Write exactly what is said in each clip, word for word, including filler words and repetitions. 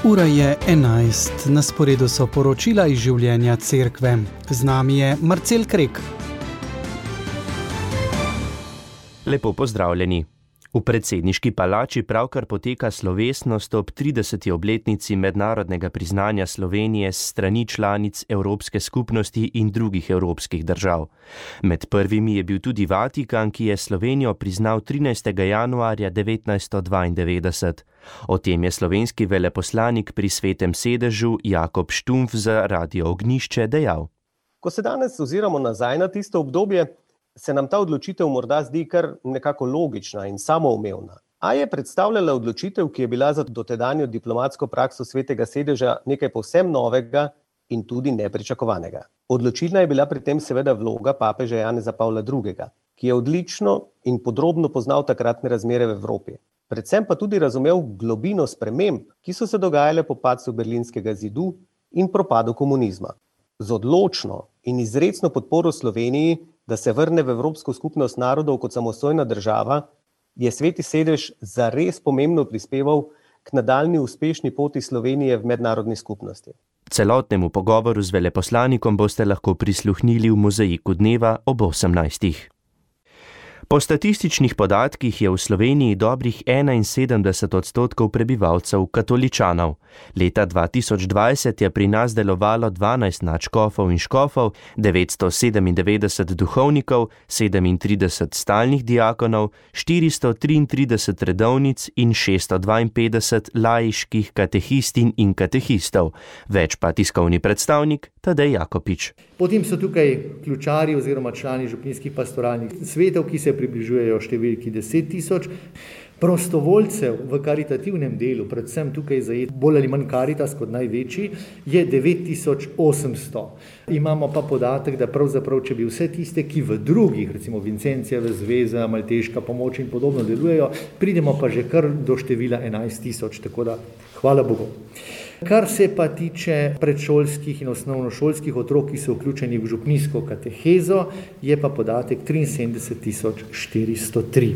Ura je enajst, na sporedu so poročila iz življenja cerkve. Z nami je Marcel Krek. Lepo pozdravljeni. V predsedniški palači pravkar poteka slovesnost ob trideseti obletnici mednarodnega priznanja Slovenije s strani članic Evropske skupnosti in drugih evropskih držav. Med prvimi je bil tudi Vatikan, ki je Slovenijo priznal trinajstega januarja devetnajststo dvaindevetdeset. O tem je slovenski veleposlanik pri Svetem sedežu Jakob Štumpf za Radio Ognjišče dejal. Ko se danes oziramo nazaj na tisto obdobje, se nam ta odločitev morda zdi kar nekako logična in samoumevna. A je predstavljala odločitev, ki je bila za dotedanjo diplomatsko prakso Svetega sedeža nekaj povsem novega in tudi nepričakovanega. Odločilna je bila pri tem seveda vloga papeža Janeza Pavla drugega, ki je odlično in podrobno poznal takratne razmere v Evropi. Predvsem pa tudi razumel globino sprememb, ki so se dogajale po padcu Berlinskega zidu in propadu komunizma. Z odločno in izrecno podporo Sloveniji, da se vrne v Evropsko skupnost narodov kot samostojna država, je Sveti sedež zares pomembno prispeval k nadaljnji uspešni poti Slovenije v mednarodni skupnosti. Celotnemu pogovoru z veleposlanikom boste lahko prisluhnili v Mozaiku dneva ob osemnajstih. Po statističnih podatkih je v Sloveniji dobrih enainsedemdeset odstotkov prebivalcev katoličanov. Leta dva tisoč dvajset je pri nas delovalo dvanajst nadškofov in škofov, devetsto sedemindevetdeset duhovnikov, sedemintrideset stalnih diakonov, štiristo triintrideset redovnic in šeststo dvainpetdeset laiških katehistin in katehistov. Več pa tiskovni predstavnik Tadej Jakopič. Potem so tukaj ključari oziroma člani župnijskih pastoralnih svetov, ki se približujejo številki deset tisoč. Prostovoljcev v karitativnem delu, predvsem tukaj zajet bolj ali manj Karitas kot največji, je devet tisoč osemsto. Imamo pa podatek, da pravzaprav, če bi vse tiste, ki v drugih, recimo Vincencijeve zveza, Malteška pomoč in podobno delujejo, pridemo pa že kar do števila enajst tisoč, tako da hvala Bogu. Kar se pa tiče predšolskih in osnovnošolskih otrok, ki so vključeni v župnijsko katehezo, je pa podatek triinsedemdeset tisoč štiristo tri.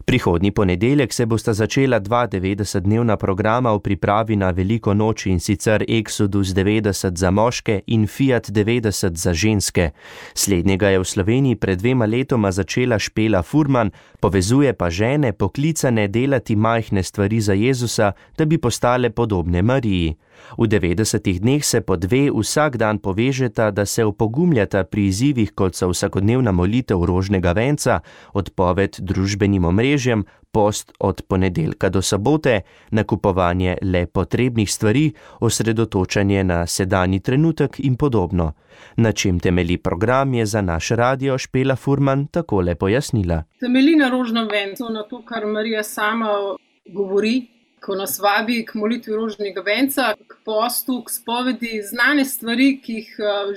Prihodnji ponedeljek se bosta začela dva devetdesetdnevna programa v pripravi na veliko noč, in sicer Exodus devetdeset za moške in Fiat devetdeset za ženske. Slednjega je v Sloveniji pred dvema letoma začela Špela Furman, povezuje pa žene poklicane delati majhne stvari za Jezusa, da bi postale podobne Mariji. V devetdesetih dneh se po dve vsak dan povežeta, da se opogumljata pri izzivih, kot so vsakodnevna molitev rožnega venca, odpoved družbenim omrežjem, post od ponedeljka do sobote, nakupovanje le potrebnih stvari, osredotočanje na sedanji trenutek in podobno. Na čem temelji program, je za naš radio Špela Furman takole pojasnila. Temelji na rožnem vencu, na to, kar Marija sama govori, ko nas vabi k molitvi rožnega venca, k postu, k spovedi, znane stvari, ki jih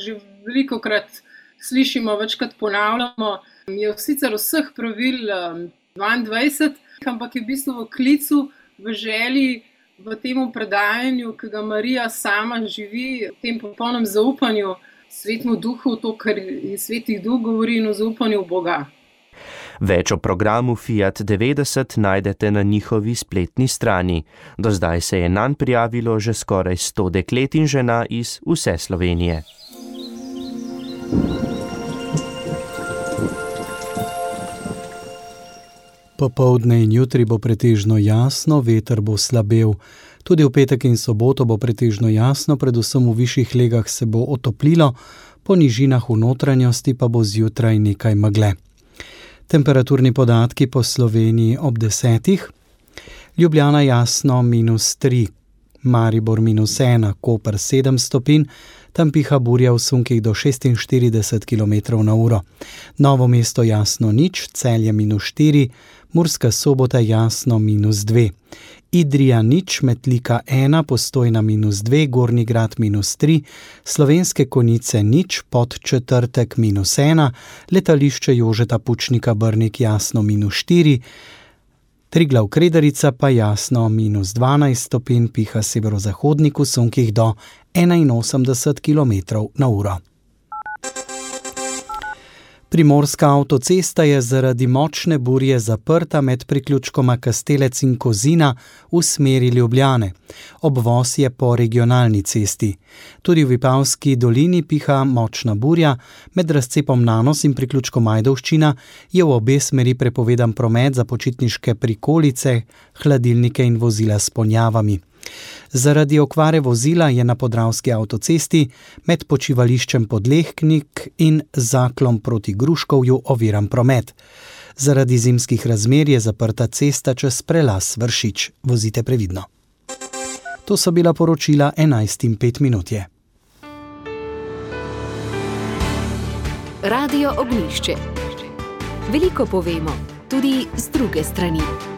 že velikokrat slišimo, večkrat ponavljamo. Je sicer vseh pravil dvaindvajset, ampak je v bistvu v klicu, v želji, v tem predajanju, ki ga Marija sama živi, v tem popolnem zaupanju Svetemu Duhu, to, kar je Sveti Duh govori, in o zaupanju v Boga. Več o programu Fiat devetdeset najdete na njihovi spletni strani. Do zdaj se je nanj prijavilo že skoraj sto deklet in žena iz vse Slovenije. Popoldne in jutri bo pretežno jasno, veter bo slabel. Tudi v petek in soboto bo pretežno jasno, predvsem v višjih legah se bo otoplilo, po nižinah v notranjosti pa bo zjutraj nekaj megle. Temperaturni podatki po Sloveniji ob desetih. Ljubljana jasno minus tri, Maribor minus ena, Koper sedem stopinj, tam piha burja v sunkih do šestinštirideset kilometrov na uro. Novo mesto jasno nič, Celje minus štiri, Murska Sobota jasno minus dve. Idrija nič, Metlika ena, Postojna minus dve, Gornji Grad minus tri, Slovenske Konjice nič, Podčetrtek minus ena, letališče Jožeta Pučnika Brnik jasno minus štiri, Triglav Kredarica pa jasno minus dvanajst stopinj, piha severozahodnik v sunkih do enainosemdeset kilometrov na uro. Primorska avtocesta je zaradi močne burje zaprta med priključkoma Kastelec in Kozina v smeri Ljubljane. Obvoz je po regionalni cesti. Tudi v Vipavski dolini piha močna burja, med razcepom Nanos in priključkom Ajdovščina je v obe smeri prepovedan promet za počitniške prikolice, hladilnike in vozila s ponjavami. Zaradi okvare vozila je na Podravski avtocesti med počivališčem Podlehnik in Zaklom proti Gruškovju oviran promet. Zaradi zimskih razmer je zaprta cesta čez prelaz Vršič. Vozite previdno. To so bila poročila enajst in pet minut je. Radio Ognjišče. Veliko povemo, tudi z druge strani.